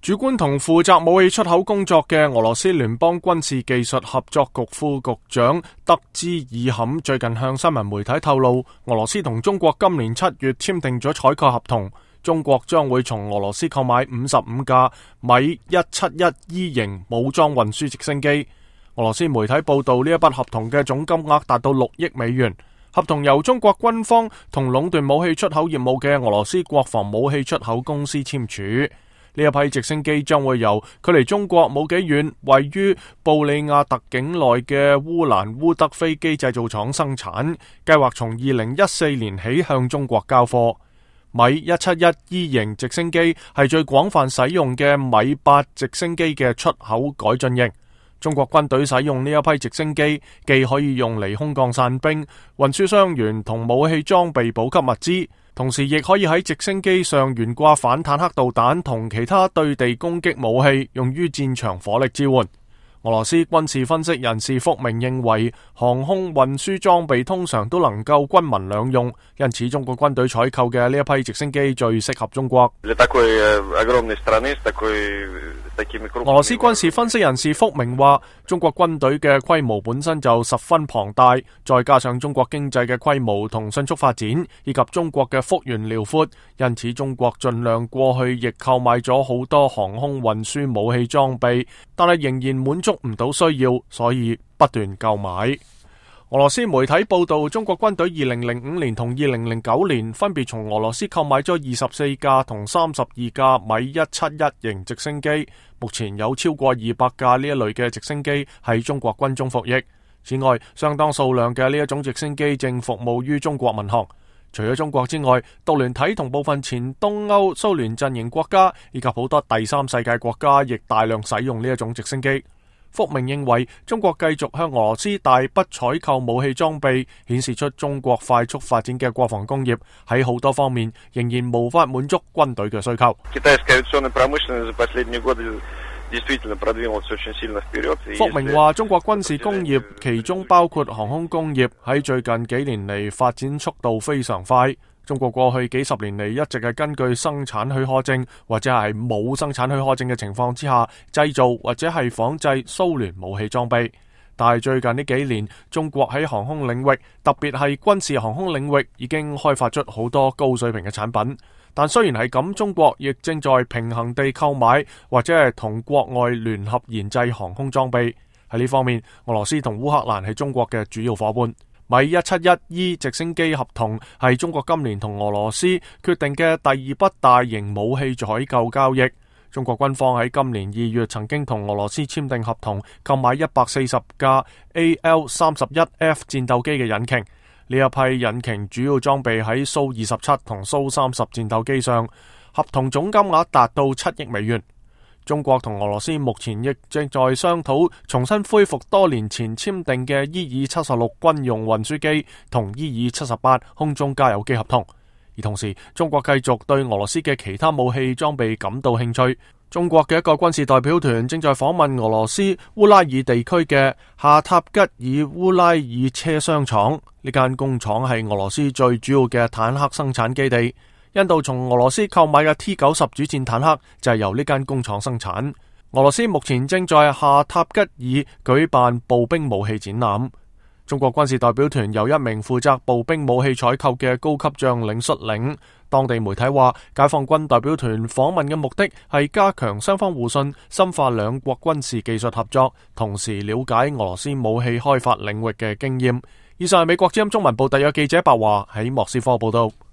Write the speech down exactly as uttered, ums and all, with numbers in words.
主管同負責武器出口工作嘅俄羅斯聯邦軍事技術合作局副局長德茲爾坎最近向新聞媒體透露，俄羅斯同中國今年七月簽訂咗採購合同，中國將會從俄羅斯購買五十五架米一七一 E 型武裝運輸直升機。俄羅斯媒體報道，呢一筆合同嘅總金額達到六億美元。合同由中國軍方同壟斷武器出口業務嘅俄羅斯國防武器出口公司簽署。呢一批直升機將會由距離中國冇幾遠、位於布里亞特境內嘅烏蘭烏德飛機製造廠生產，計劃從二零一四年起向中國交貨。米一七一 E 型直升機係最廣泛使用嘅米八直升機嘅出口改進型。中國軍隊使用呢一批直升機，既可以用嚟空降散兵、運輸傷員同武器裝備補給物資，同時亦可以喺直升機上懸掛反坦克導彈同其他對地攻擊武器，用於戰場火力支援。俄羅斯軍事分析人士福明認為，航空運輸裝備通常都能夠軍民兩用，因此中國軍隊採購嘅呢一批直升機最適合中國。俄羅斯軍事分析人士福明話，中國軍隊嘅規模本身就十分龐大，再加上中國經濟嘅規模同迅速發展，以及中國嘅幅員遼闊，因此中國盡量過去亦購買咗好多航空運輸武器裝備，但係仍然滿足唔到需要，所以不斷購買。俄羅斯媒體報道，中國軍隊二零零五年同二零零九年分別從俄羅斯購買咗二十四架同三十二架米一七一型直升機，目前有超過二百架呢一類嘅直升機喺中國軍中服役。此外，相當數量嘅呢一種直升機正服務於中國民航。除咗中國之外，獨聯體同部分前東歐蘇聯陣營國家以及好多第三世界國家亦大量使用呢一種直升機。福明認為，中國繼續向俄羅斯大筆採購武器裝備，顯示出中國快速發展嘅國防工業喺好多方面仍然無法滿足軍隊嘅需求。福明話，中國軍事工業其中包括航空工業，喺最近幾年嚟發展速度非常快。中國過去幾十年嚟一直係根據生產許可證或者係冇生產許可證嘅情況之下製造或者係仿製蘇聯武器裝備，但係最近呢幾年，中國喺航空領域，特別係軍事航空領域已經開發出好多高水平嘅產品。但雖然係咁，中國亦正在平衡地購買或者係同國外聯合研製航空裝備。喺呢方面，俄羅斯同烏克蘭係中國嘅主要夥伴。米一七一 E 直升機合同係中國今年同俄羅斯決定嘅第二筆大型武器採購交易。中國軍方喺今年二月曾經同俄羅斯簽訂合同，購買一百四十架 A L 三十一 F 戰鬥機嘅引擎。呢一批引擎主要裝備喺蘇二十七同蘇三十戰鬥機上，合同總金額達到七億美元。中國同俄羅斯目前亦正在商討重新恢復多年前簽訂嘅伊爾七十六軍用運輸機同伊爾七十八空中加油機合同，而同時中國繼續對俄羅斯嘅其他武器裝備感到興趣。中國嘅一個軍事代表團正在訪問俄羅斯烏拉爾地區嘅夏塔吉爾烏拉爾車廂廠，呢間工廠係俄羅斯最主要嘅坦克生產基地。印度從俄羅斯購買嘅 T 九十主戰坦克就係由呢間工廠生產。俄羅斯目前正在夏塔吉爾舉辦步兵武器展覽。中國軍事代表團由一名負責步兵武器採購嘅高級將領率領。當地媒體話，解放軍代表團訪問嘅目的係加強雙方互信，深化兩國軍事技術合作，同時了解俄羅斯武器開發領域嘅經驗。以上係美國之音中文部特約記者白華喺莫斯科報道。